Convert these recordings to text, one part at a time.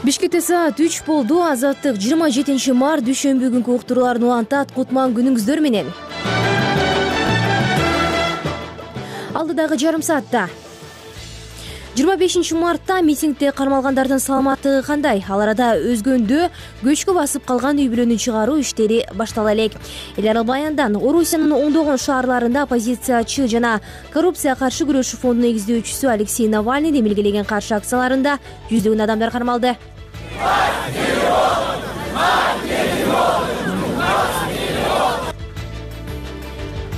Бишкекте саат 3 болду. Азаттык 27 март дүйшөмбү күнкү уктурууларын улантат. Кутман күнүңүздөр менен. Алдыдагы жарым саатта 25 мартта митингде кармалгандардын саламаттыгы кандай? Ал арада өзгөндө көчкү басып калган үй бүлөнү чыгаруу иштери баштала элек. Эл аралык баяндан Орусиянын ондогон шаарларында оппозициячы жана коррупцияга каршы күрөшүү фондунун негиздөөчүсү Алексей Навальный демилгелеген каршы акцияларында жүздөгөн адамдар кармалды.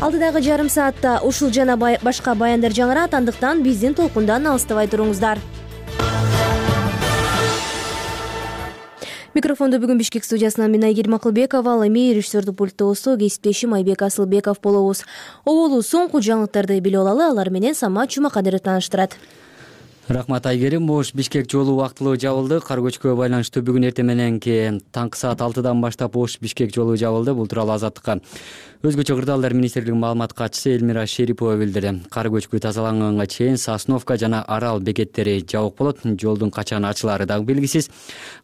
Алдыдагы жарым саатта ушул жана башка баяндар жаңырат, андыктан биздин толкундан алыстабай туруңуздар. Микрофондо бүгүн Бишкек студиясынан мен Айгерим Акылбекова, ал эми режиссердик пульттогусу кесиптешим Айбек Асылбеков болобуз. Оболу соңку жаңылыктарды билип алалы, алар менен Самат Жумакадыров тааныштырат. Рахмат Айгерим. Ош Бишкек жолу убактылуу жабылды. Кар көчкүгө байланыштуу бүгүн эртең мененки таңкы саат 6-дан баштап Ош Бишкек жолу жабылды. Бул тууралуу Азаттыкка өзгөчө кырдаалдар министрлигинин маалымат катчысы Элмира Шерипова билдирди. Кар көчкү тазаланганга чейин Сосновка жана Арал бекеттери жабык болот. Жолдун качан ачылаары дагы белгисиз.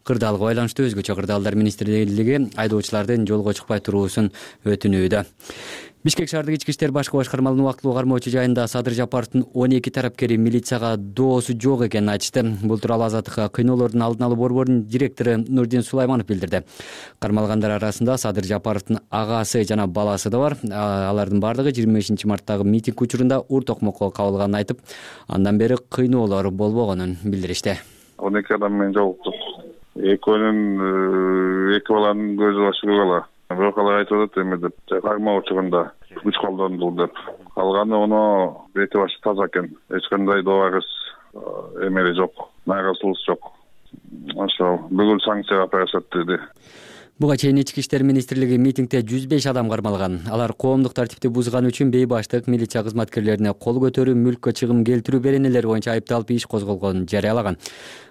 Кырдаалга байланыштуу өзгөчө кырдаалдар министрлиги айдоочулардын жолго чыкпай туруусун өтүнүүдө. Бишкек шаардык ички иштер башкы башкармалыгынын убактылуу кармоочу жайында Садыр Жапаровдун 12 тарапкери милицияга доосу жок экенин айтышты. Бул тууралуу Азаттыкка кыйноолордун алдын алуу борборунун директору Нурдин Сулайманов билдирди. Кармалгандар арасында Садыр Жапаровдун агасы жана баласы да бар. Алардын бардыгы 25 марттагы митинг учурунда ур токмокко кабылганын айтып, андан бери кыйноолор болбогонун билдиришти. 12 адам менен жолуктук. Эки баланын көзү башы көк ала. Бирок алар айтып атат эме деп, кармоо учурунда күч колдонду деп. Калганы ону бети башы таза экен. Эч кандай добагыс эмери жок, нааразычылык жок. Ошо бүгүн санкцияга барышат деди. Буга чейин ички иштер министрлиги митингде 105 адам кармалган. Алар коомдук тартипти бузган үчүн бейбаштык, милиция кызматкерлерине кол көтөрүү, мүлккө чыгым келтирүү беренелери боюнча айыпталып иш козголгонун жарыялаган.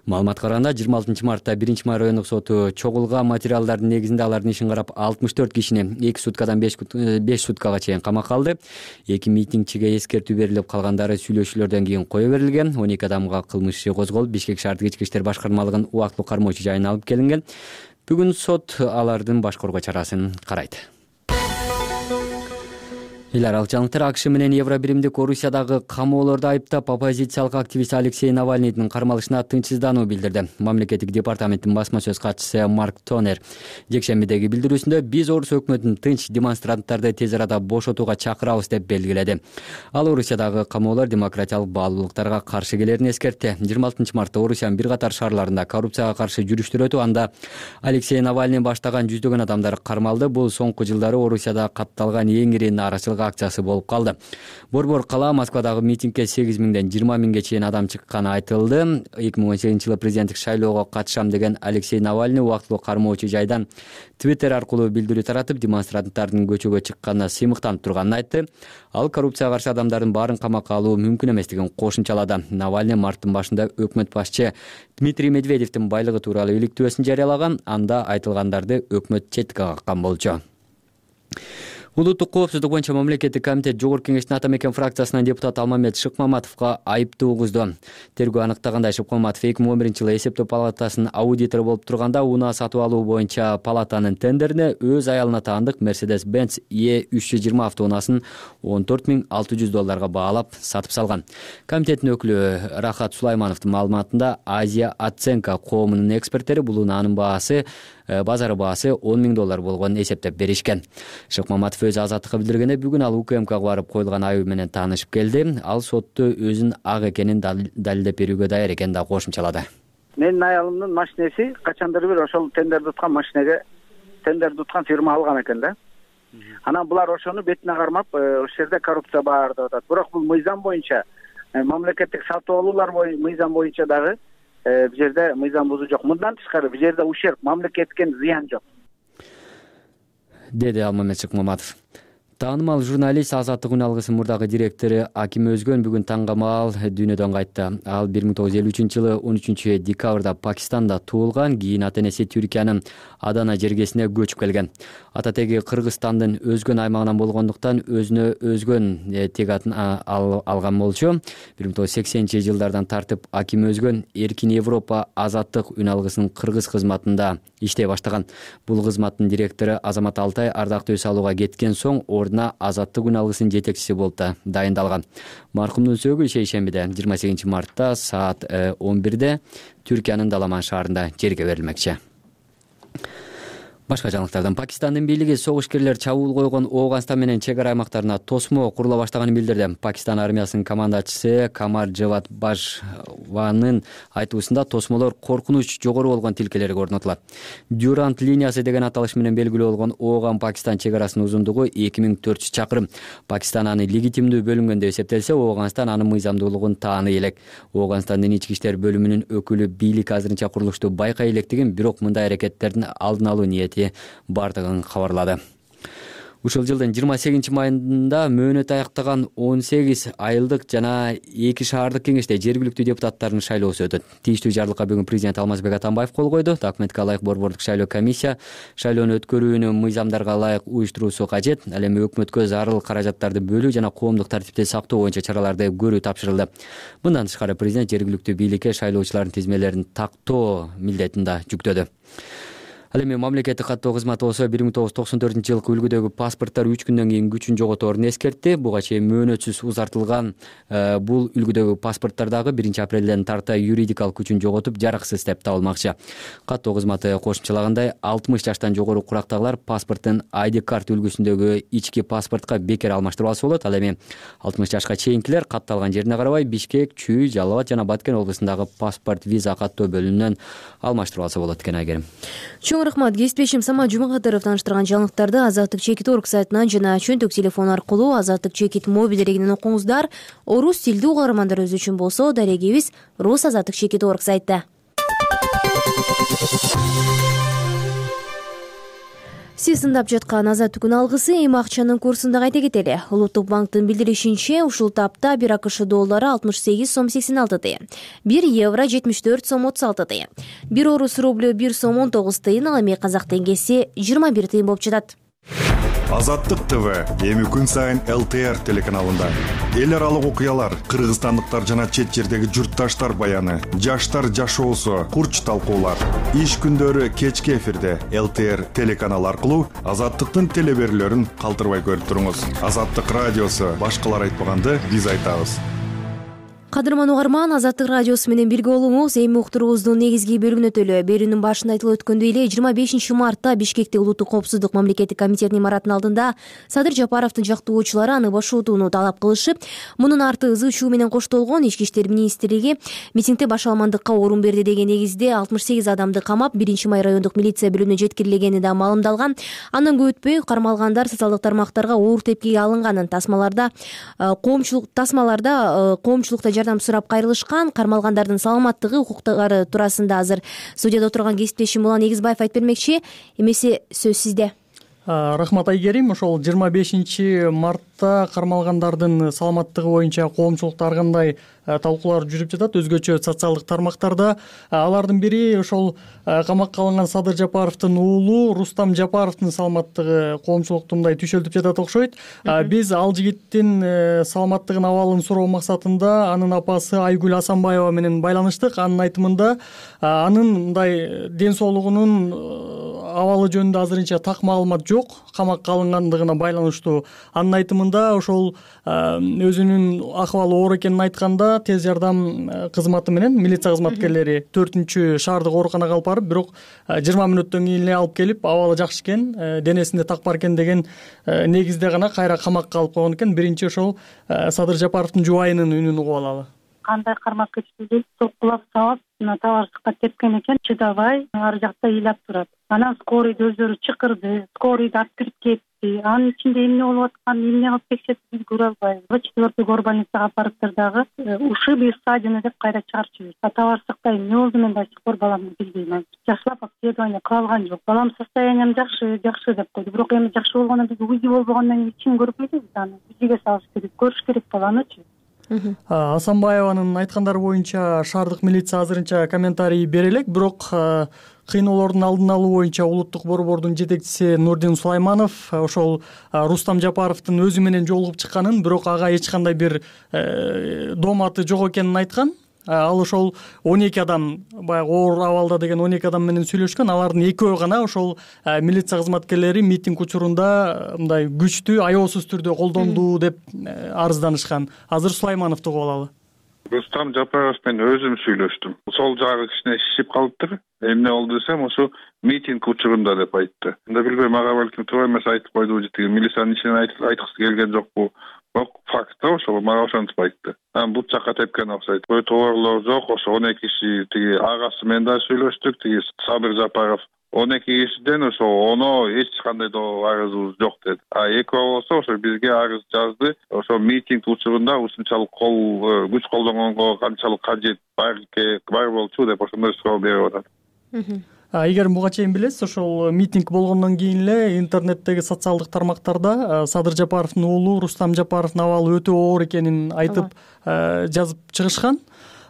Маалыматка караганда 26 мартта 1-май райондук соту чогулган материалдардын негизинде алардын ишин карап 64 кишини 2 суткадан 5 суткага чейин камакка алды. 2 митингчиге эскертүү берилип, калгандары сүйлөшүүлөрдөн кийин кое берилген. 12 адамга кылмыш иши козголуп, Бишкек шаардык ички иштер башкармалыгынын убактылуу кармоочу жайына алып келинген. Бүгүн сот алардын баш коргоо чарасын карайт. Эл аралык жаңылыктар. АКШ менен Евробиримдик Орусиядагы камоолорду айыптап, оппозициялык активист Алексей Навальныйдын кармалышына тынчсыздануу билдирди. Мамлекеттик департаменттин басма сөз катчысы Марк Тонер жекшембидеги билдирүүсүндө биз Орус өкмөтүн тынч демонстранттарды тез арада бошотууга чакырабыз деп белгиледи. Ал Орусиядагы камоолор демократиялык баалуулуктарга каршы келерин эскертти. 26 мартта Орусиянын бир катар шаарларында коррупцияга каршы жүрүштөр өтүп, анда Алексей Навальный баштаган жүздөгөн адамдар кармалды. Бул соңку жылдары Орусияда катталган эң ири нааразычылык акциясы болуп калды. Борбор кала Москвадагы митингге 8 миңден 20 миңге чейин адам чыкканы айтылды. 2018-жылы президенттик шайлоого катышам деген Алексей Навальный убактылуу кармоочу жайдан Twitter аркылуу билдирүү таратып, демонстранттардын көчөгө чыкканына сыймыктанып турганын айтты. Ал коррупцияга каршы адамдардын баарын камакка алуу мүмкүн эместигин кошумчалады. Навальный марттын башында өкмөт башчы Дмитрий Медведевдин байлыгы тууралуу иликтөөсүн жарыялаган. Анда айтылгандарды өкмөт четке каккан болчу. Улуттук коопсуздук боюнча мамлекеттик комитет Жогорку кеңештин Ата Мекен фракциясынан депутат Алмамет Шыкмаматовго айыптоо угузду. Тергөө аныктагандай, Шыкмаматов 2011-жылы эсептөө палатасынын аудитору болуп турганда унаа сатып алуу боюнча палатанын тендерине өз аялына таандык Mercedes-Benz E320 автоунаасын $14,600 баалап сатып салган. Комитеттин өкүлү Рахат Сулаймановдун маалыматында Азия Оценка коомунун эксперттери бул унаанын баасы базары баасы $10,000 болгонун эсептеп беришкен. Шыкмаматов өз Азаттыкка билдиргенде, бүгүн ал УКМКга барып коюлган айып менен таанышып келди. Ал сотто өзүн ак экенин далилдеп берүүгө даяр экенин да кошумчалады. Менин аялымдын машинеси качандыр бир ошол тендерди уткан машинеге тендерди уткан фирма алган экен да. Анан булар ошону бетине кармап, ошол жерде коррупция бар деп атат. Бирок бул мыйзам боюнча, мамлекеттик сатып алуулар мыйзам боюнча дагы бул жерде мыйзам бузуу жок. Мындан тышкары бул жерде ущерб, мамлекетке зыян жок, деди Алмамет Шыкмаматов. Таанымал журналист Азаттык үн алгысынын мурдагы директору Аким Өзгөн бүгүн таң камал дүйнөдөн кайтты. Ал 1953-жылы 13-декабрда Пакистанда туулган, кийин ата-энеси Түркиянын Адана жергесине көчүп келген. Ата теги Кыргызстандын Өзгөн аймагынан болгондуктан өзүнө Өзгөн тег атын алган болчу. 1980-жылдардан тартып Аким Өзгөн Эркин Европа Азаттык үн алгысынын кыргыз кызматында иштей баштаган. Бул кызматтын директору Азамат Алтай ардактуу эс алууга кеткен соң Азаттык үн алгысынын жетекчиси болуп да дайындалган. Маркумдун сөөгү шейшембиде 28 мартта саат 11-де Түркиянын Даламан шаарында жерге берилмекчи. Башка жаңылыктардан Пакистандын бийлиги согушкерлер чабуул койгон Ооганстан менен чек ара аймактарына тосмо курула баштаганын билдирди. Пакистан армиясынын командачысы Камар Джавад Бажванын айтуусунда тосмолор коркунуч жогору болгон тилкелерге орнотулат. Дюрант линиясы деген аталыш менен белгилүү болгон Ооган-Пакистан чек арасынын узундугу 2400 чакырым. Пакистан аны легитимдүү бөлүнгөн деп эсептелсе, Ооганстан анын мыйзамдуулугун тааный элек. Ооганстандын ички иштер бөлүмүнүн өкүлү бийлик азырынча курулушту байкай элекдигин, бирок мындай аракеттердин алдын алуу ниети бардыгын кабарлады. Ушул жылдын 28 майында мөөнөт аяктаган 18 айылдык жана 2 шаардык кеңеште жергиликтүү депутаттардын шайлоосу өтөт. Тийиштүү жарлыкка бүгүн президент Алмазбек Атамбаев кол койду. Документке ылайык борбордук шайлоо комиссия шайлоону өткөрүүнү мыйзамдарга ылайык уюштуруусу кажет. Ал эми өкмөткө зарыл каражаттарды бөлүү жана коомдук тартипти сактоо боюнча чараларды көрүү тапшырылды. Мындан тышкары президент жергиликтүү бийликке шайлоочулардын тизмелерин тактоо милдетин да жүктөдү. Ал эми мамлекеттик каттоо кызматы болсо 1994-жылкы үлгүдөгү паспорттор 3 күндөн кийин күчүн жоготорун эскертти. Буга чейин мөөнөтсүз узартылган бул үлгүдөгү паспорттор дагы 1-апрелден тарта юридикалык күчүн жоготуп, жараксыз деп табылмакчы. Каттоо кызматы кошумчалагандай, 60 жаштан жогору курактагылар паспорттун ID карт үлгүсүндөгү ички паспортко бекер алмаштырбасы болот. Ал эми 60 жашка чейинкилер катталган жерине карабай Бишкек, Чүй, Жалал Абад жана Баткен облусундагы паспорт виза каттоо бөлүмүнөн алмаштырбасы болот экен Айгерим. Чоң рахмат. Кесиптешим Самат Жумагатыров тааныштырган жаңылыктарды Азаттык чекит орг сайтынан жана чөнтөк телефон аркылуу Азаттык чекит мобиль дерегинен окуңуздар. Орус тилдүү угармандарыбыз үчүн болсо дарегибиз Рус Азаттык чекит орг сайтта. Сиз тыңдап жаткан Азаттык үн алгысы эми акчанын курсун да кайта кетели. Улуттук банктын билдиришинче, ушул тапта 1 АКШ доллары 68 сом 86 тыйын, 1 евро 74 сом 36 тыйын, 1 орус рублю 1 сом 19 тыйын, ал эми казак теңгеси 21 тыйын болуп жатат. Азаттык ТВ эми күн сайын ЛТР телеканалында эл аралык окуялар, кыргызстандыктар жана чет жердеги журтташтар баяны, жаштар жашоосу, курч талкуулар. Иш күндөрү кечки эфирде ЛТР телеканалы аркылуу Азаттыктын телеберүүлөрүн калтырбай көрүп туруңуз. Азаттык радиосу башкалар айтпаганды биз айтабыз. Кадырман угарман, Азаттык радиосу менен бирге болуңуз. Эми уктуруубуздун негизги бөлүгүнө өтөлү. Берүүнүн башында айтылып өткөндөй эле 25 мартта Бишкекте Улуттук коопсуздук мамлекеттик комитетинин имаратынын алдында Садыр Жапаровдун жактоочулары аны бошотууну талап кылышып, мунун арты ызы чуу менен коштолгон. Ички иштер министрлиги митингде башаламандыкка орун берди деген негизде 68 адамды камап, 1-май райондук милиция бөлүмүнө жеткирилгени да маалымдалган. Андан көп өтпөй кармалгандар социалдык тармактарга оор тепкиге алынганын, тасмаларда коомчулукта жардам сурап кайрылышкан. Кармалгандардын саламаттыгы, укуктары туурасында азыр студияда отурган кесиптешим Улан Эгизбаев айтып бермекчи. Эмесе сөз сизде. Рахмат Айгерим. Ошол 25 мартта кармалгандардын саламаттыгы боюнча коомчулукта ар кандай талкуулар жүрүп жатат, өзгөчө социалдык тармактарда. Алардын бири ошол камакка алынган Садыр Жапаровдун уулу Рустам Жапаровдун саламаттыгы коомчулукта мындай түйшөлтүп жатат окшойт. Биз ал жигиттин саламаттыгын, абалын суроо максатында анын апасы Айгүл Асанбаева менен байланыштык. Анын айтымында анын мындай ден соолугунун абалы жөнүндө азырынча так маалымат жок, камакка алынгандыгына байланыштуу. Анын айтымында ошол өзүнүн акыбалы оор экенин айтканда тез жардам кызматы менен милиция кызматкерлери 4-шаардык ооруканага алып барып, бирок 20 мүнөттөн кийин эле алып келип, абалы жакшы экен, денесинде так бар экен деген негизде гана кайра камакка алып койгон экен. Биринчи ошол Садыр Жапаровдун жубайынын үнүн угуп алалы. Кандай кармап кетти, соккулап сабап, табарсыкка тепкен экен, чыдабай ар жакта ыйлап турат. Анан скорыйды өзүлөрү чакырды, скорыйды алып кирип кетти. Анын ичинде эмне болуп атканын, эмне кылып текшертти, биз көрө албайбыз. 4 горбольницага алып барыптыр дагы ушибы ссадина деп кайра чыгарып жиберди. Табарсыкта эмне болду, мен да сих пор баламды билбейм. жакшылап обследование кыла алган жок. Балам состоянием жакшы деп койду. Бирок эми жакшы болгондон биз УЗИ болбогондон кийин эч ким көрбөйт, аны УЗИге салыш керек, көрүш керек баланычы. Асанбаеванын айткандары боюнча шаардык милиция азырынча комментарий бере элек, бирок кыйноолордун алдын алуу боюнча улуттук борбордун жетекчиси Нурдин Сулайманов ошол Рустам Жапаровдун өзү менен жолугуп чыкканын, бирок ага эч кандай бир дооматы жок экенин айткан. Ал ошол 12 адам, баягы оор абалда деген 12 адам менен сүйлөшкөн. Алардын экөө гана ошол милиция кызматкерлери митинг учурунда мындай күчтү, аеосуз түрдө колдонду деп арызданышкан. Азыр Сулаймановду угуп алалы. Рустам Жапаров менен өзүм сүйлөштүм. Сол жагы кичине шишип калыптыр. Эмне болду десем, ошо митинг учурунда деп айтты. Анда билбейм, ага балким туура эмес айтып койдубу же тиги милициянын ичинен айткысы келген жокпу. Бирок факты ошол мага ошентип айтты. Бут жакка тепкен окшойт. Товарлор жок, ошо 12 киши тиги агасы менен да сүйлөштүк, тиги Сабыр Жапаров 12 кишиден ошо 10 эч кандай да арызыбыз жок деди. Экөө болсо ошо бизге арыз жазды. Ошо митинг учурунда ушунчалык күч колдонгонго канчалык кажет бар болчу деп ошондой суроо берип атат. Эгер буга чейин билесиз, ошол митинг болгондон кийин эле интернеттеги социалдык тармактарда Садыр Жапаровдун уулу Рустам Жапаровдун абалы өтө оор экенин айтып жазып чыгышкан.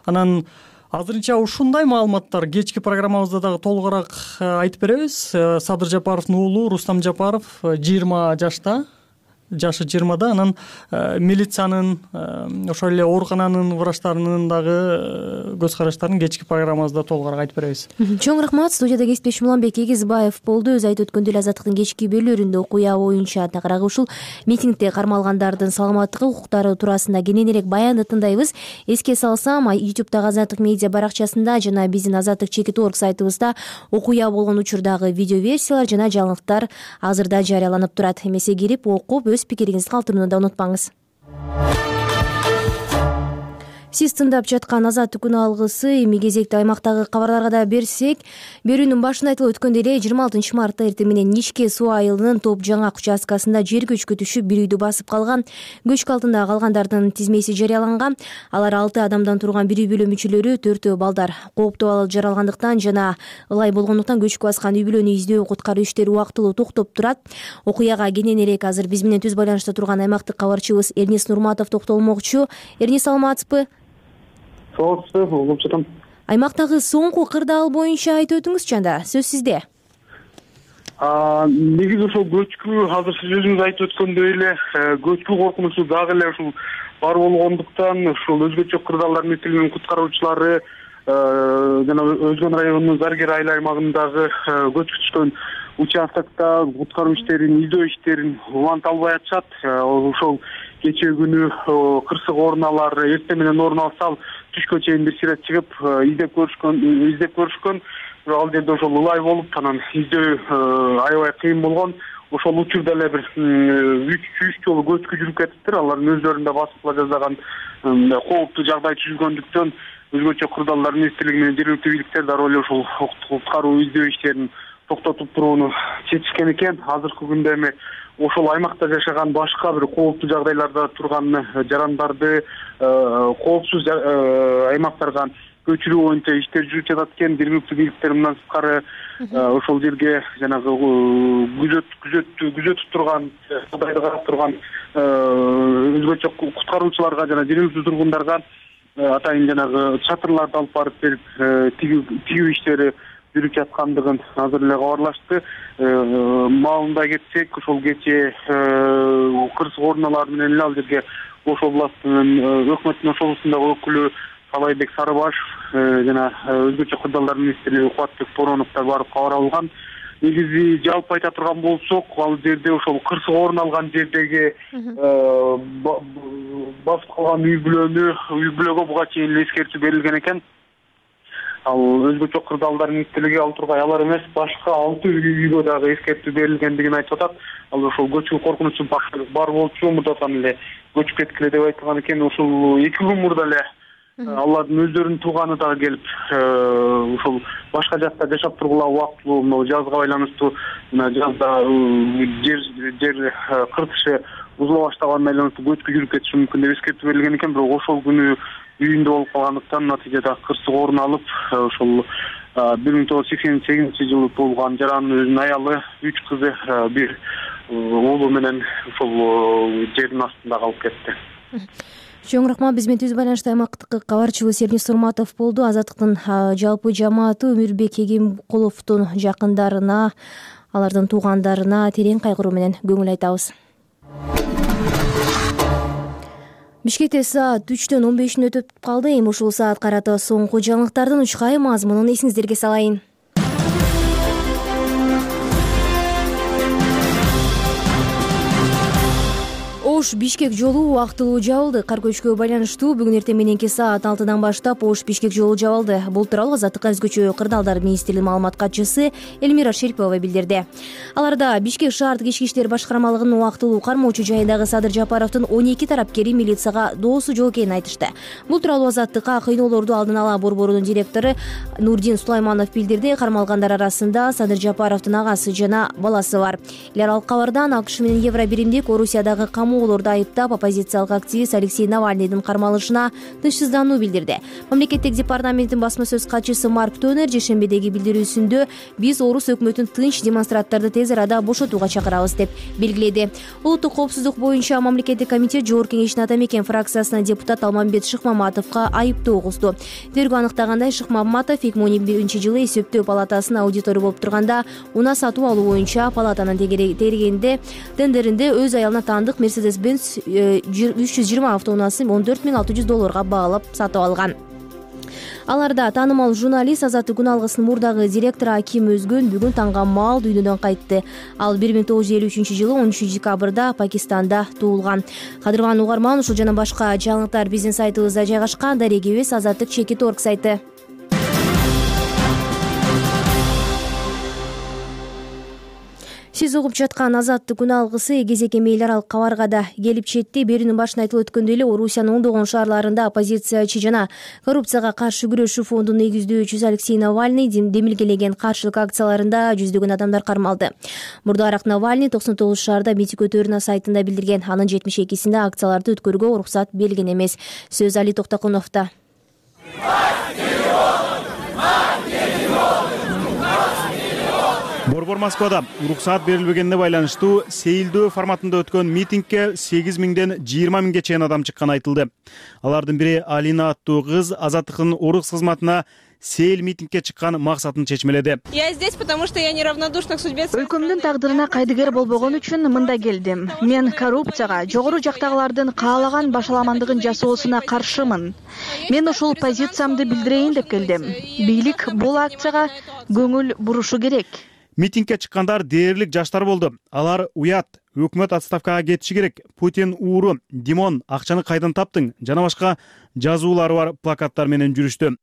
Анан азырынча ушундай маалыматтар кечки программабызда дагы толугураак айтып беребиз. Садыр Жапаровдун уулу Рустам Жапаров 20 жашта, жашы 20да. Анан милициянын ошол эле оорукананын врачтарынын дагы көз караштарын кечки программабызда толугураак айтып беребиз. Чоң рахмат. Студияда кесиптешим Уланбек Эгизбаев болду. Өз айтып өткөндөй эле Азаттыктын кечки берүүлөрүндө окуя боюнча тагыраагы ушул митингде кармалгандардын саламаттыгы, укуктары туурасында кененирээк баянды тыңдайбыз. Эске салсам, YouTube'дагы Азаттык медиа баракчасында жана биздин azattik.org сайтыбызда окуя болгон учурдагы видео версиялар жана жаңылыктар азырда жарыяланып турат. Эмесе кирип окуп өз пикириңизди калтырууну да унутпаңыз. Сиз тыңдап жаткан Азаттык күнү алгысы. Эми кезекти аймактагы кабарларга да берсек, берүүнүн башында айтылып өткөндөй эле 26 мартта эртең менен Нишке суу айылынын Топ Жаңак участкасында жер көчкү түшүп, бир үйдү басып калган. Көчкү алдында калгандардын тизмеси жарыяланган. Алар 6 адамдан турган бир үй бүлө мүчөлөрү, 4 балдар. Кооптуу жаралгандыктан жана ылай болгондуктан көчкү баскан үй бүлөнү издөө, куткаруу иштери убактылуу токтоп турат. Окуяга кененирээк азыр биз менен түз байланышта турган аймактык кабарчыбыз Эрнис Нурматов токтолмокчу. Эрнис, саламатсызбы? Аймактагы соңку кырдаал боюнча айтып өтүңүзчү, анда сөз сизде. Негизи ошол көчкү, азыр сиз өзүңүз айтып өткөндөй эле көчкү коркунучу дагы эле ушул бар болгондуктан ушул өзгөчө кырдаалдардын мектебинин куткаруучулары жана Өзгөн районунун Заргер айыл аймагындагы көчкү түшкөн участокто куткаруу иштерин, издөө иштерин уланта албай атышат. Ошол кечээ күнү кырсык орун алар, эртең менен орун алса, түшкө чейин бир сирет чыгып издеп көрүшкөн. Бирок ал жерде ошол ылай болуп, анан издөө аябай кыйын болгон. Ошол учурда эле бир 3 жолу көчкү жүрүп кетиптир. Алардын өздөрүндө басыпла жазган кооптуу жагдай түзүлгөндүктөн өзгөчө кырдаалдар министрлиги менен жергиликтүү бийликтер дароо эле ошол куткаруу издөө иштерин токтотуп турууну чечишкен экен. Азыркы күндө эми ошол аймакта жашаган башка бир кооптуу жагдайларда турган жарандарды коопсуз аймактарга көчүрүү боюнча иштер жүрүп жатат экен. Жергиликтүү бийликтер мындан сырткары ошол жерге жанагы күзөтүп турган, жагдайды карап турган өзгөчө куткаруучуларга жана жергиликтүү тургундарга атайын жанагы чатырларды алып барып берип тигүү иштери жүрүп жаткандыгын азыр эле кабарлашты. Маалында кетсек, ошол кечээ кырсык оруналар менен эле ал жерге Ош областынын өкмөттүн Ош облусундагы өкүлү Салайбек Сарыбашев жана өзгөчө кырдаалдар министри Кубатбек Бороновдор барып кабар алган. Негизи жалпы айта турган болсок, ал жерде ошол кырсык орун алган жердеги басып калган үй бүлөгө буга чейин эле эскертүү берилген экен. Ал өзгөчө кырдаалдар министрлиги ал тургай алар эмес, башка 6 үйгө дагы эскертүү берилгендигин айтып атат. Ал ошол көчкү коркунучу бар болчу, мурдатан эле көчүп кеткиле деп айтылган экен. Ошол 2 күн мурда эле алардын өздөрүнүн тууганы дагы келип, ошол башка жакта жашап тургула убактылуу мына жазга байланыштуу жазда жер кыртышы бузула баштаганына байланыштуу көчкү жүрүп кетиши мүмкүн деп эскертүү берилген экен. Бирок ошол күнү үйүндө болуп калгандыктан натыйжада кырсык орун алып, ошол 1988-жылы туулган. Жарандын өзүнүн аялы, 3 кызы, бир уулу менен ушул жердин астында калып кетти. Чоң рахмат. Биз менен түз байланышта аймактык кабарчыбыз Эрнис Сурматов болду. Азаттыктын жалпы жамааты Өмүрбек Эгемкуловдун жакындарына, алардын туугандарына терең кайгыруу менен көңүл айтабыз. Бишкекте саат 3-төн 15 өтүп калды. Эми ушул саат карата соңку жаңылыктардын учкай мазмунун эсиңиздерге салайын. Ош-Бишкек жолу убактылуу жабылды. Кар көчкүгө байланыштуу бүгүн эртең мененки саат 6-дан баштап Ош-Бишкек жолу жабылды. Бул тууралуу Азаттыкка өзгөчө кырдаалдар министрлигинин маалымат катчысы Эльмира Шерипова билдирди. Аларда Бишкек шаардык ички иштер башкармалыгынын убактылуу кармоочу жайындагы Садыр Жапаровдун 12 тарапкери милицияга доосу жок экенин айтышты. Бул тууралуу Азаттыкка кыйноолорду алдын ала борборунун директору Нурдин Сулайманов билдирди. Кармалгандар арасында Садыр Жапаровдун агасы жана баласы бар. Эл аралык кабардан АКШ менен Евробиримдик Орусиядагы камоолорду айыптап оппозициялык активист Алексей Навальныйдын кармалышына тынчсыздануу билдирди. Мамлекеттик департаменттин басма сөз катчысы Марк Тонер жешембедеги билдирүүсүндө биз орус өкмөтүн тынч демонстранттарды тез арада бошотууга чакырабыз деп белгиледи. Улуттук коопсуздук боюнча мамлекеттик комитет жогорку кеңештин ата мекен фракциясынан депутат Алмамбет Шыкмаматовго айыптоо кусту. Тергөө аныктагандай Шыкмаматов 2011-жылы эсептөө палатасынын аудитору болуп турганда унаа сатуу алуу боюнча палатанын тендеринде өз аялына таандык Mercedes-Benz 320 автоунаасын $14,600 баалап сатып алган. Аларда таанымал журналист Азаттык күн алгысынын мурдагы директору Аким Өзгөн бүгүн таңга маал дүйнөдөн кайтты. Ал 1953-жылы 13 декабрда Пакистанда туулган. Кадырман угарман, ушул жана башка жаңылыктар биздин сайтыбызда жайгашкан. Дарегебиз Азаттык.org сайты. Сиз угуп жаткан Азаттык күн алгысы кезекеме эл аралык кабарга да келип жетти. Берүүнүн башында айтылып өткөндөй эле Орусиянын ондогон шаарларында оппозициячы жана коррупцияга каршы күрөшүү фондунун негиздөөчүсү Алексей Навальный демилгелеген каршылык акцияларында жүздөгөн адамдар кармалды. Мурдараак Навальный 99 шаарда митинг өтөөрүнө сайтында билдирген. Анын 72-синде акцияларды өткөрүүгө уруксат берилген эмес. Сөз Али Токтокуновдо. Борбор Москвада уруксаат берилбегенине байланыштуу сейилдөө форматында өткөн митингге 8 миңден 20 миңге чейин адам чыкканы айтылды. Алардын бири Алина аттуу кыз Азаттыктын орус кызматына сейил митингге чыккан максатын чечмеледи. Я здесь, потому что я неравнодушна к судьбе. Өлкөмдүн тагдырына кайдыгер болбогон үчүн мында келдим. Мен коррупцияга, жогору жактагылардын каалаган башаламандыгын жасоосуна каршымын. Мен ушул позициямды билдирейин деп келдим. Бийлик бул акцияга көңүл бурушу керек. Митингге чыккандар дээрлик жаштар болду. Алар уят, өкмөт отставкага кетиши керек, Путин ууру, Димон акчаны кайдан таптың жана башка жазуулары бар плакаттар менен жүрүштү.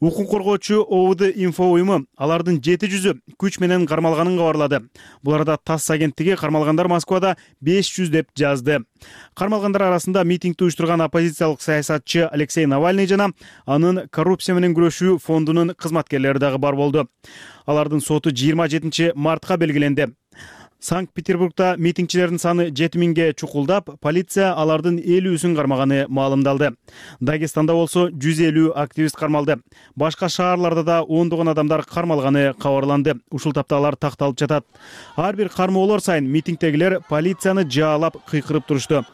Укук коргоочу ОВД инфо уюму алардын 700-ü күч менен кармалганын кабарлады. Буларда ТАСС агенттиги кармалгандар Москвада 500 деп жазды. Кармалгандар арасында митингди уюштурган оппозициялык саясатчы Алексей Навальный жана анын коррупция менен күрөшүү фондунун кызматкерлери дагы бар болду. Алардын соту 27 мартка белгиленди. Санкт-Петербургда митингчилердин саны 7000ге чукулдап, полиция алардын 50-үсүн кармаганы маалымдалды. Дагестанда болсо 150 активист кармалды. Башка шаарларда да ондогон адамдар кармалганы кабарланды. Ушул тапта алар такталып жатат. Ар бир кармоолор сайын митингдегилер полицияны жаалап кыйкырып турушту.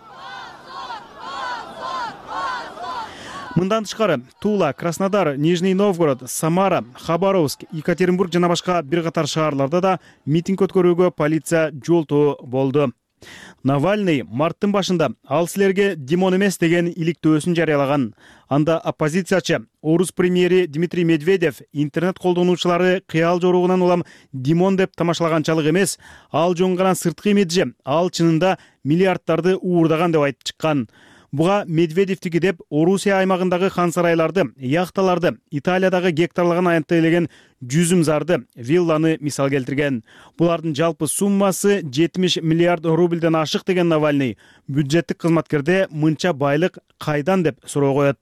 Мындан тышкары Тула, Краснодар, Нижний Новгород, Самара, Хабаровск, Екатеринбург жана башка бир катар шаарларда да митинг өткөрүүгө полиция жолтоо болду. Навальный марттын башында ал силерге Димон эмес деген иликтөөсүн жарыялаган. Анда оппозициячы орус премьери Дмитрий Медведев интернет колдонуучулары кыял жоругунан улам Димон деп тамашалаганчалык эмес, ал жоңган сырткы имиджи, ал чынында миллиарддарды уурдаган деп айтып чыккан. Буга Медведевтики деп Орусия аймагындагы хан сарайларды, яхталарды, Италиядагы гектарлаган аянттайлеген жүзүмзарды, вилланы мисал келтирген. Булардын жалпы суммасы 70 миллиард рубльден ашык деген Навальный бюджеттик кызматкерде мынча байлык кайдан деп суроо коет.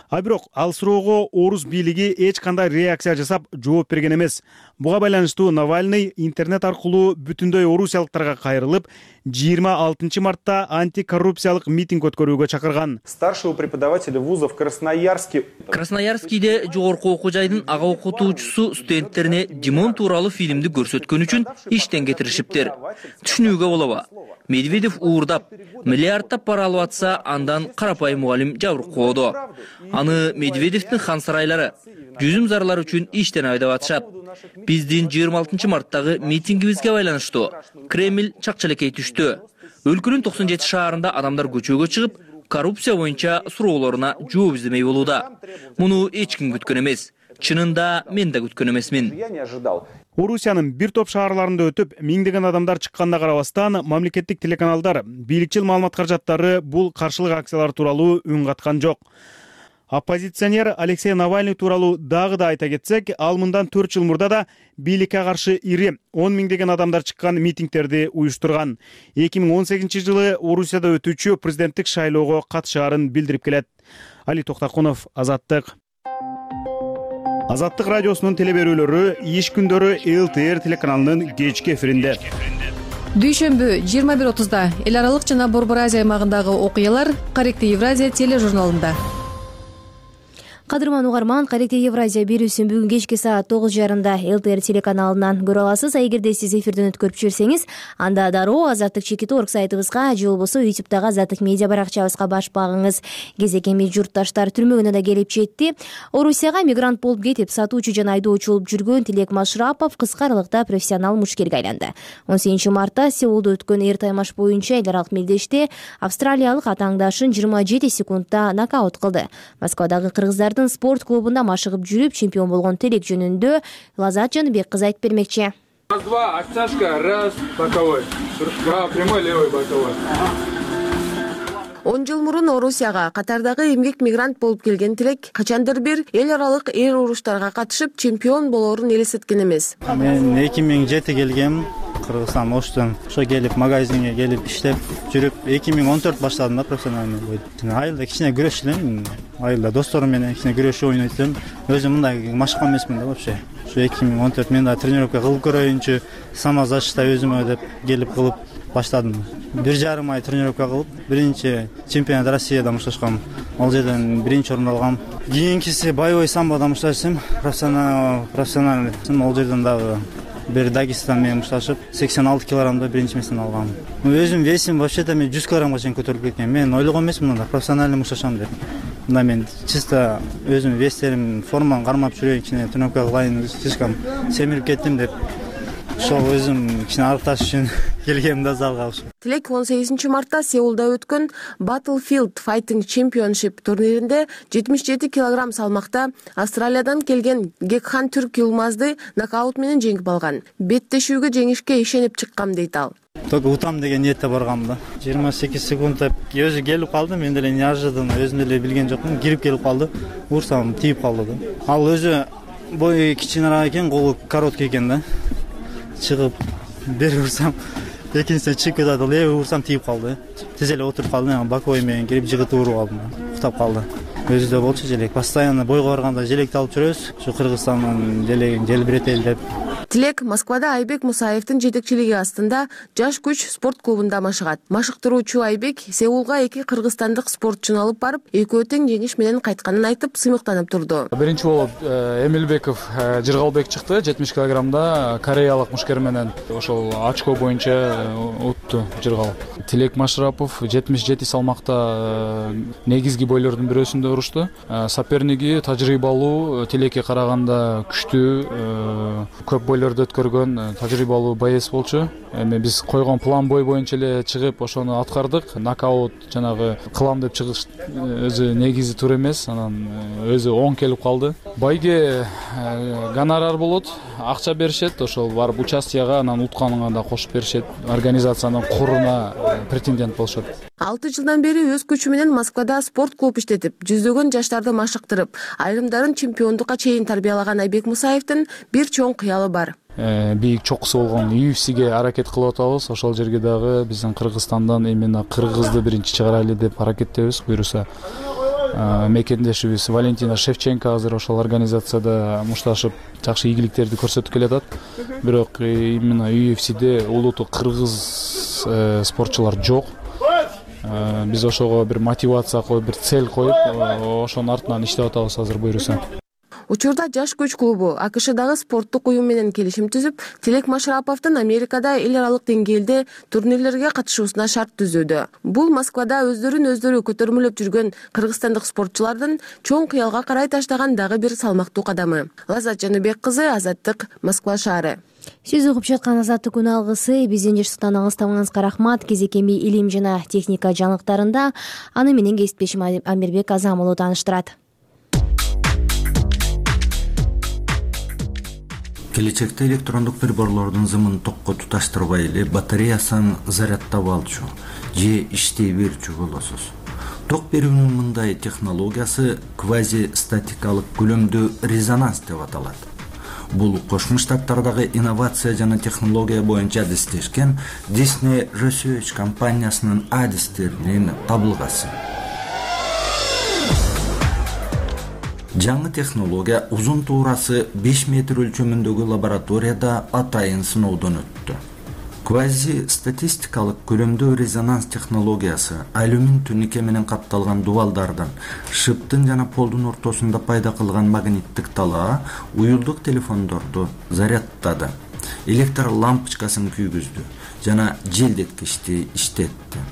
А бирок ал суроого орус бийлиги эч кандай реакция жасап жооп берген эмес. Буга байланыштуу Навальный интернет аркылуу бүтүндөй орусиялыктарга кайрылып, 26 мартта антикоррупциялык митинг өткөрүүгө чакырган. Старшего преподавателя вузов Красноярскийде жогорку окуу жайдын ага окутуучусу студенттерине Димон тууралуу фильмди көрсөткөн үчүн иштен кетиришиптир. Түшүнүүгө болобу? Медведев уурдап, миллиарддап пара алып атса, андан карапайым мугалим жабыркоодо. Аны Медведевдин хан сарайлары жүзүм зарлар үчүн иштен айдап атышат. Биздин 26 марттагы митингибизге байланыштуу Кремль чакчалекей түштү. Өлкөнүн 97 шаарында адамдар көчөгө чыгып, коррупция боюнча суроолоруна жооп издемей болууда. Муну эч ким күткөн эмес. Чынында мен да күткөн эмесмин. Орусиянын бир топ шаарларында өтүп, миңдеген адамдар чыкканына карабастан, мамлекеттик телеканалдар, бийликчил маалымат каражаттары бул каршылык акциялар тууралуу үн каткан жок. Оппозиционер Алексей Навальный тууралуу дагы да айта кетсек, ал мындан 4 жыл мурда да бийликке каршы ири 10 миңдеген адамдар чыккан митингтерди уюштурган. 2018 жылы Орусияда өтүүчү президенттик шайлоого катышаарын билдирип келет. Али Токтакунов, Азаттык. Азаттык радиосунун телеберүүлөрү иш күндөрү ЛТР телеканалынын кечки эфиринде. Дүйшөмбү 21:30 эл аралык жана Борбор Азия аймагындагы окуялар Каректи Евразия тележурналында. Кадырман угарман, Каректи Евразия берүүсүн бүгүн кечки саат 9:30 ЛТР телеканалынан көрө аласыз. Эгерде сиз эфирден өткөрүп жиберсеңиз, анда дароо Азаттык.org сайтыбызга же болбосо YouTube'дагы Азаттык медиа баракчабызга басып багыңыз. Кезек эми журтташтар түрмөгүнө да келип жетти. Орусияга мигрант болуп кетип, сатуучу жана айдоочу болуп жүргөн Тилек Машрапов кыска аралыкта профессионал мушкерге айланды. 18 мартта Сеулда өткөн эр таймаш боюнча эл аралык мелдеште австралиялык атааңдашын 27 секундда нокаут кылды. Москвадагы кыргыздардын спорт клубунда машыгып жүрүп чемпион болгон Телек жөнүндө Лазат Жаныбек кыз айтып бермекчи. Раз, два, оттяжка, раз, боковой. Прямой, левый, боковой. 10 жыл мурун Орусияга катардагы эмгек мигрант болуп келген Тилек качандыр бир эл аралык эр уруштарга катышып чемпион болоорун элестеткен эмес. Мен 2007 келгем. Кыргызстан Оштон ошо келип магазинге келип иштеп жүрүп 2014 баштадым да профессиональный бой. Айылда кичине күрөш элем. Айылда досторум менен кичине күрөш ойнойт элем. Өзүм мындай машыккан эмесмин да вообще. Ошо 2014 мен да тренировка кылып көрөйүнчү, самозащита өзүмө деп келип кылып баштадым. 1,5 ай тренировка кылып, биринчи чемпионат Россияда мушташкам. Ал жерден биринчи орун алгам. Кийинкиси боевой самбода мушташсам, профессиональный. Ал жерден дагы бир Дагестан менен мушташып 86 килограммда биринчи местен алгам. Өзүм весим вообще-то мен 100 килограммга чейин көтөрүлүп кеткен. Мен ойлогон эмесмин мында профессиональный мушташам деп. Мында мен чисто өзүм вестерим форманы кармап жүрөйүн, кичине тренировка кылайын, слишком семирип кеттим деп. Ошо өзүм кичине арыкташ үчүн келгем да залга. Тилек 18 мартта Сеулда өткөн Battlefield Fighting Championship турниринде 77 килограмм салмакта Австралиядан келген Гекхан Түрк Юлмазды нокаут менен жеңип алган. Беттешүүгө жеңишке ишенип чыккам дейт ал. Только утам деген ниетте баргам да. 28 секунд деп өзү келип калды, мен деле неожиданно өзүм деле билген жокмун, кирип келип калды. Урсам тийип калды да. Ал өзү бою кичинерээк экен, колу короткий экен да. Чыгып бери урсам, экинчисине чыгып кетип атып, левый урсам тийип калды. Тез эле отуруп калдым, боковой менен кирип жыгытып уруп алдым. Уктап калды. Өзүдө болчу желек. Постоянно бойго барганда желекти алып жүрөбүз. Ушу Кыргызстандын желегин желбиретели деп. Тилек Москвада Айбек Мусаевдин жетекчилиги астында Жаш күч спорт клубунда машыгат. Машыктыруучу Айбек Сеулга 2 кыргызстандык спортчуну алып барып, экөө тең жеңиш менен кайтканын айтып, сыймыктанып турду. Биринчи болуп Эмилбеков Жыргалбек чыкты, 70 килограммда кореялык мушкер менен ошол очко боюнча утту Жыргал. Тилек Машрапов 77 салмакта негизги бойлордун бирөөсүндө урушту. Соперниги тажрыйбалуу, Тилекке караганда күчтүү, көп бойлорду өткөргөн тажрыйбалуу боец болчу. Эми биз койгон план бой боюнча эле чыгып ошону аткардык. Нокаут жанагы кылам деп чыгыш өзү негизи туура эмес, анан өзү оң келип калды. Байге гонорар болот, акча беришет, ошол барып участияга, анан утканыңа да кошуп беришет. Организациянын куруна претендент болушат. 6 жылдан бери өз күчү менен Москвада спорт клуб иштетип, жүздөгөн жаштарды машыктырып, айрымдарын чемпиондукка чейин тарбиялаган Айбек Мусаевдин бир чоң кыялы бар. Бийик чокусу болгон UFC'ге аракет кылып атабыз. Ошол жерге дагы биздин Кыргызстандан именно кыргызды биринчи чыгарайлы деп аракеттебиз. Буюрса мекендешибиз Валентина Шевченко азыр ошол организацияда мушташып жакшы ийгиликтерди көрсөтүп келатат. Бирок именно UFC'де улуттук кыргыз спортчулар жок. Биз ошого бир мотивация коюп, бир цель коюп, ошонун артынан иштеп атабыз азыр буюрса. Учурда Жаш күч клубу АКШдагы спорттук уюм менен келишим түзүп, Тилек Машраповдун Америкада эл аралык деңгээлде турнирлерге катышуусуна шарт түзүүдө. Бул Москвада өздөрүн көтөрмөлөп жүргөн кыргызстандык спортчулардын чоң кыялга карай таштаган дагы бир салмактуу кадамы. Лаззат Жаныбек кызы, Азаттык, Москва шаары. Сөз угуп жаткан Азаттык күн алгысы. Биздин жашыктан алыстабаңызга рахмат. Кезекеби илим жана техника жаңылыктарында аны менен кесиптешим Амирбек Азамулу тааныштырат. Келечекте электрондук приборлордун зымын токко туташтырбай эле батареясын зарядтап алчу же иштей берчү болосуз. Ток берүүнүн мындай технологиясы квазистатикалык көлөмдүү резонанс деп аталат. Бул Кошмо Штаттардагы инновация жана технология боюнча адистешкен Disney Research компаниясынын адистеринин табылгасы. Жаңы технология узун туурасы 5 метр өлчөмүндөгү лабораторияда атайын сыноодон өттү. Квазистатикалык көлөмдүү резонанс технологиясы алюмин тунике менен капталган дубалдардын, шыптын жана полдун ортосунда пайда кылган магниттик талаа уюлдук телефондорду зарядтады, электр лампочкасын күйгүздү жана желдеткичти иштетти.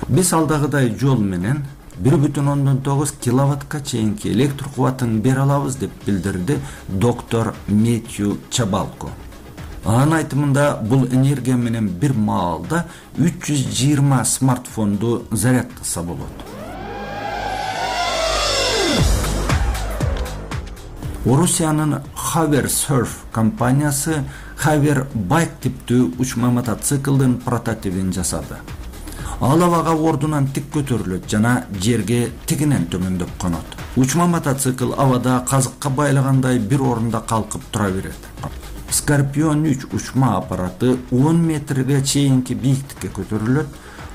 Биз алдагыдай жол менен 1,9 киловаттка чейинки электр кубатын бере алабыз деп билдирди доктор Метью Чабалко. Анын айтымында бул энергия менен бир маалда 320 смартфонду зарядтаса болот. Орусиянын Hover Surf компаниясы Hover Bike типтүү учма мотоциклдын прототипин жасады. Ал абага ордунан тик көтөрүлөт жана жерге тигинен төмөндөп конот. Учма мотоцикл абада казыкка байлагандай бир орунда калкып тура берет. Scorpion 3 учма аппараты 10 метрге чейинки бийиктикке көтөрүлөт.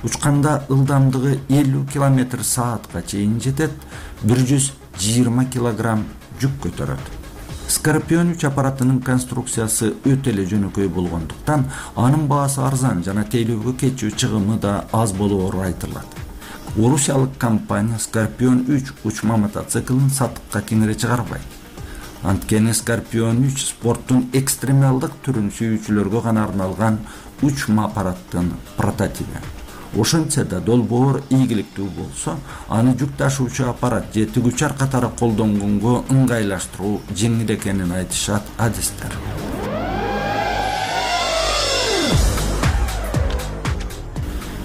Учканда ылдамдыгы 50 км/саатка чейин жетет, 120 кг жүк көтөрөт. Scorpion 3 аппаратынын конструкциясы өтө эле жөнөкөй болгондуктан анын баасы арзан жана тейлөөгө кетчү чыгымы да аз болоору айтылат. Орусиялык компания Scorpion 3 учма мотоциклын сатыкка кеңире чыгарбайт. Анткени Scorpion 3 спорттун экстремалдык түрүн сүйүүчүлөргө гана арналган учма аппараттын прототипи. Ошентсе да долбоор ийгиликтүү болсо, аны жүк ташуучу аппарат же тигүүчү катары колдонгонго ыңгайлаштыруу жеңил экенин айтышат адистер.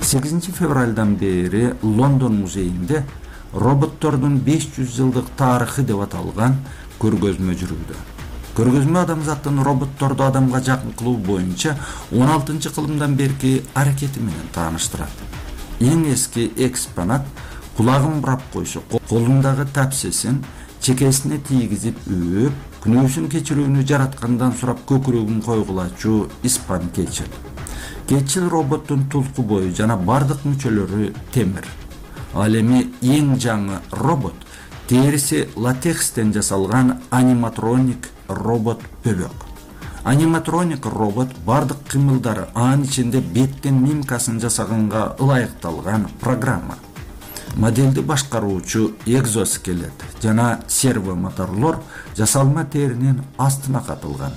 Февралдан бери Лондон музейинде роботтордун 500 жылдык тарыхы деп аталган көргөзмө жүрүүдө. Көргөзмө адамзаттын роботторду адамга жакын кылуу боюнча 16-кылымдан берки аракети менен тааныштырат. Эң эски экспонат кулагын бурап койсо, колундагы тапсесин чекесине тийгизип өөп, күнөөсүн кечирүүнү жараткандан сурап көкүрөгүн койгулачу испан keçил. Keçил роботтун тулку бою жана бардык мүчөлөрү темир. Ал эми эң жаңы робот териси латекстен жасалган аниматроник робот бөлөк. Аниматроник робот бардык кыймылдары, анын ичинде беттин мимкасын жасаганга ылайыкталган программа. Моделди башкаруучу экзоскелет жана серво моторлор жасалма теринин астына катылган.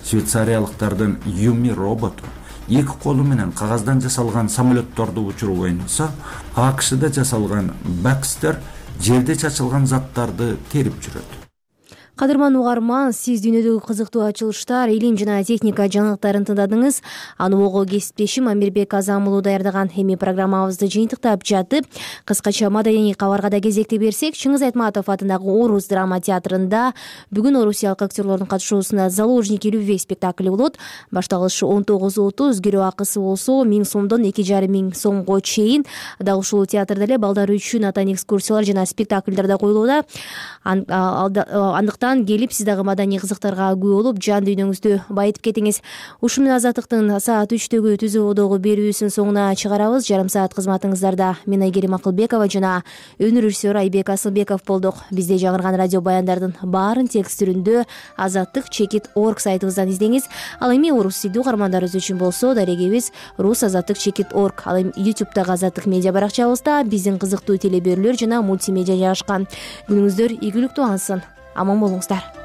Швейцариялыктардын Юми роботу эки колу менен кагаздан жасалган самолетторду учуруп ойносо, АКШда жасалган Baxter жерде чачылган заттарды терип жүрөт. Кадырман угарман, сиз дүйнөдөгү кызыктуу ачылыштар, илим жана техника жаңылыктарын тыңдадыңыз. Аны ого кесиптешим Амирбек Азамулу даярдаган. Эми программабызды жыйынтыктап жатып, кыскача маданий кабарга да кезекти берсек, Чыңгыз Айтматов атындагы Орус драма театрында бүгүн орусиялык актерлордун катышуусунда Заложники любви спектакли болот. Башталышы 19:30, кирүү акысы болсо 1000 сомдон 2500 сомго чейин. Дал ушул театрда эле балдар үчүн атайын экскурсиялар жана спектакльдер да коюлууда. Келип, сиз дагы маданий кызыктарга күбө болуп, жан дүйнөңүздү байытып кетиңиз. Ушул менен Азаттыктын саат 3-төгү түзүүдөгү берүүсүн соңуна чыгарабыз. Жарым саат кызматыңыздарда мен Айгерим Акылбекова жана өнөр режиссеру Айбек Асылбеков болдук. Бизде жаңырган радио баяндардын баарын текст түрүндө azattik.org сайтыбыздан издеңиз. Ал эми орус тилдүү угармандарыбыз үчүн болсо, дарегебиз rus.azattik.org. Ал эми YouTube'дагы Азаттык медиа баракчабызда биздин кызыктуу телеберүүлөр жана мультимедиа жайгашкан. Күнүңүздөр ийгиликтүү алсын. Аман болуңуздар.